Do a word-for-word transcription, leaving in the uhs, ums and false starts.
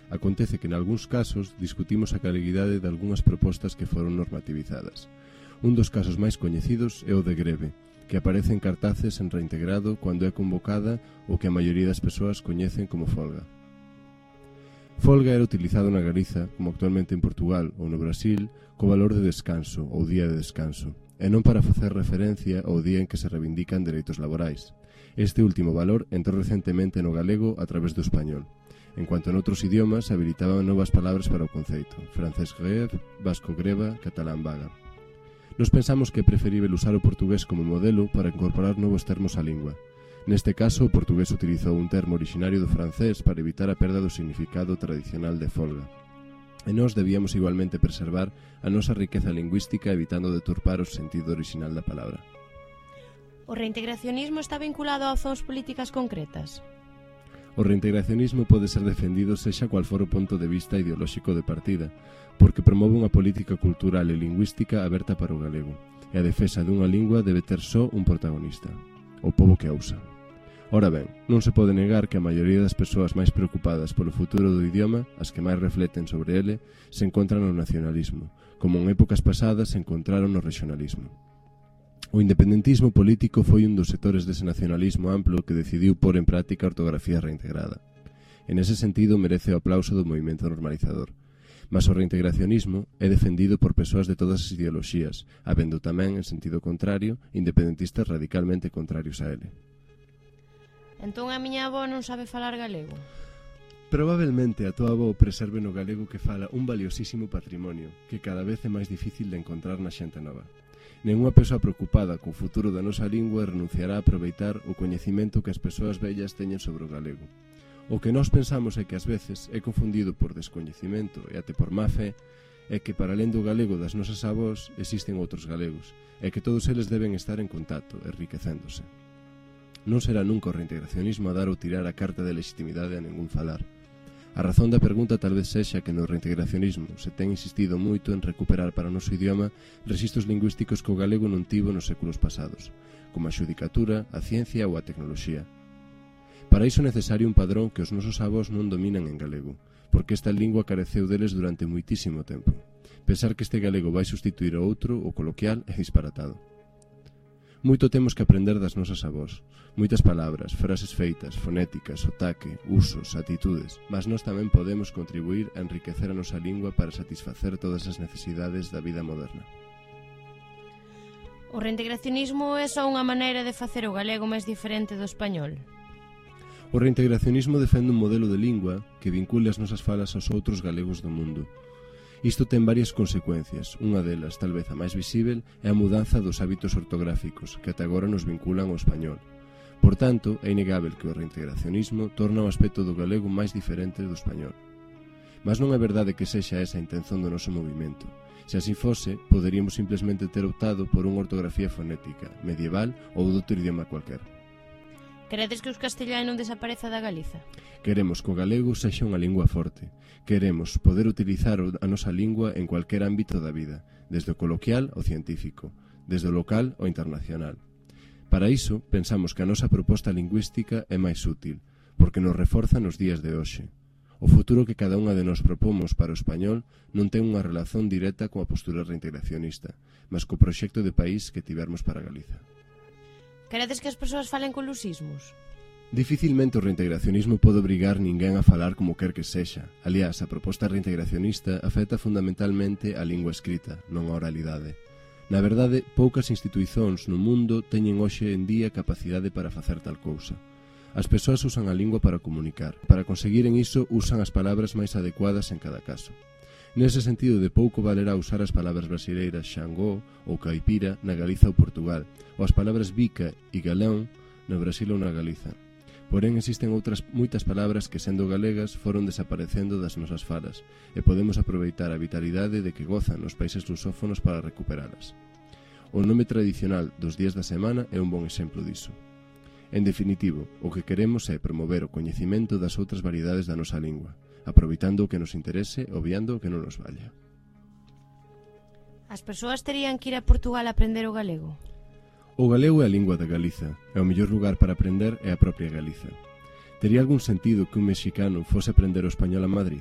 Acontece que nalgúns casos discutimos a galeguidade de algunhas propostas que foron normativizadas. Un dos casos máis coñecidos é o de greve, que aparece en cartaces en reintegrado cando é convocada o que a maioría das persoas coñecen como folga. Folga era utilizado na Galiza, como actualmente en Portugal ou no Brasil, co valor de descanso ou día de descanso, e non para facer referencia ao día en que se reivindican dereitos laborais. Este último valor entrou recentemente no galego a través do español, en cuanto en outros idiomas habilitaban novas palabras para o conceito: francés greve, vasco greva, catalán vaga. Nos pensamos que é preferível usar o portugués como modelo para incorporar novos termos á lingua. Neste caso, o portugués utilizou un termo originario do francés para evitar a perda do significado tradicional de folga. E nós debíamos igualmente preservar a nosa riqueza lingüística evitando deturpar o sentido orixinal da palabra. O reintegracionismo está vinculado a opcións políticas concretas? O reintegracionismo pode ser defendido sexa cual for o ponto de vista ideolóxico de partida, porque promove unha política cultural e lingüística aberta para o galego, e a defensa dunha lingua debe ter só un protagonista: o pobo que a usa. Ora ben, non se pode negar que a maioría das persoas máis preocupadas polo futuro do idioma, as que máis refleten sobre ele, se encontran no nacionalismo, como en épocas pasadas se encontraron no regionalismo. O independentismo político foi un dos sectores dese nacionalismo amplo que decidiu pôr en práctica a ortografía reintegrada. En ese sentido merece o aplauso do movimento normalizador. Mas o reintegracionismo é defendido por persoas de todas as ideoloxías, habendo tamén, en sentido contrario, independentistas radicalmente contrarios a ele. Entón a miña avó non sabe falar galego? Probablemente a tua avó preserve no galego que fala un valiosísimo patrimonio que cada vez é máis difícil de encontrar na xente nova. Nenhunha persoa preocupada co futuro da nosa lingua renunciará a aproveitar o coñecimento que as persoas vellas teñen sobre o galego. O que nós pensamos é que ás veces é confundido por descoñecimento e até por má fe, é que para alén do galego das nosas avós existen outros galegos, e que todos eles deben estar en contacto, enriquecéndose. Non será nunca o reintegracionismo a dar ou tirar a carta de legitimidade a ningún falar. A razón da pregunta tal vez sexa que no reintegracionismo se ten insistido moito en recuperar para o noso idioma rexistros lingüísticos que o galego non tivo nos séculos pasados, como a xudicatura, a ciencia ou a tecnoloxía. Para iso é necesario un padrón que os nosos avós non dominan en galego, porque esta lingua careceu deles durante moitísimo tempo. Pensar que este galego vai sustituir o outro, o coloquial, é disparatado. Moito temos que aprender das nosas avós. Moitas palabras, frases feitas, fonéticas, sotaque, usos, atitudes, mas nós tamén podemos contribuir a enriquecer a nosa lingua para satisfacer todas as necesidades da vida moderna. O reintegracionismo é só unha maneira de facer o galego máis diferente do español? O reintegracionismo defende un modelo de lingua que vincule as nosas falas aos outros galegos do mundo. Isto ten varias consecuencias. Unha delas, tal vez a máis visível, é a mudanza dos hábitos ortográficos que ata agora nos vinculan ao español. Por tanto, é inegável que o reintegracionismo torna o aspecto do galego máis diferente do español. Mas non é verdade que sexa esa a intención do noso movimento. Se así fose, poderíamos simplemente ter optado por unha ortografía fonética, medieval ou doutro idioma cualquer. Queredes que o castelán non desapareza da Galiza? Queremos que o galego sexa unha lingua forte. Queremos poder utilizar a nosa lingua en cualquier ámbito da vida, desde o coloquial ao científico, desde o local ao internacional. Para iso, pensamos que a nosa proposta lingüística é máis útil, porque nos reforza nos días de hoxe. O futuro que cada unha de nós propomos para o español non ten unha relación directa coa postura reintegracionista, mas co proxecto de país que tivermos para Galiza. Queredes que as persoas falen con lusismos? Dificilmente o reintegracionismo pode obrigar ninguén a falar como quer que sexa. Aliás, a proposta reintegracionista afecta fundamentalmente a lingua escrita, non a oralidade. Na verdade, poucas instituicións no mundo teñen hoxe en día capacidade para facer tal cousa. As persoas usan a lingua para comunicar. Para conseguiren iso, usan as palabras máis adecuadas en cada caso. Nese sentido, de pouco valerá usar as palabras brasileiras xangó ou caipira na Galiza ou Portugal, ou as palabras bica e galán no Brasil ou na Galiza. Porén, existen outras moitas palabras que, sendo galegas, foron desaparecendo das nosas falas e podemos aproveitar a vitalidade de que gozan os países lusófonos para recuperalas. O nome tradicional dos días da semana é un bon exemplo diso. En definitivo, o que queremos é promover o coñecimento das outras variedades da nosa lingua, aproveitando o que nos interese e obviando o que non nos valla. As persoas terían que ir a Portugal a aprender o galego? O galego é a lingua da Galiza, e o mellor lugar para aprender é a propia Galiza. Tería algún sentido que un mexicano fose aprender o español a Madrid?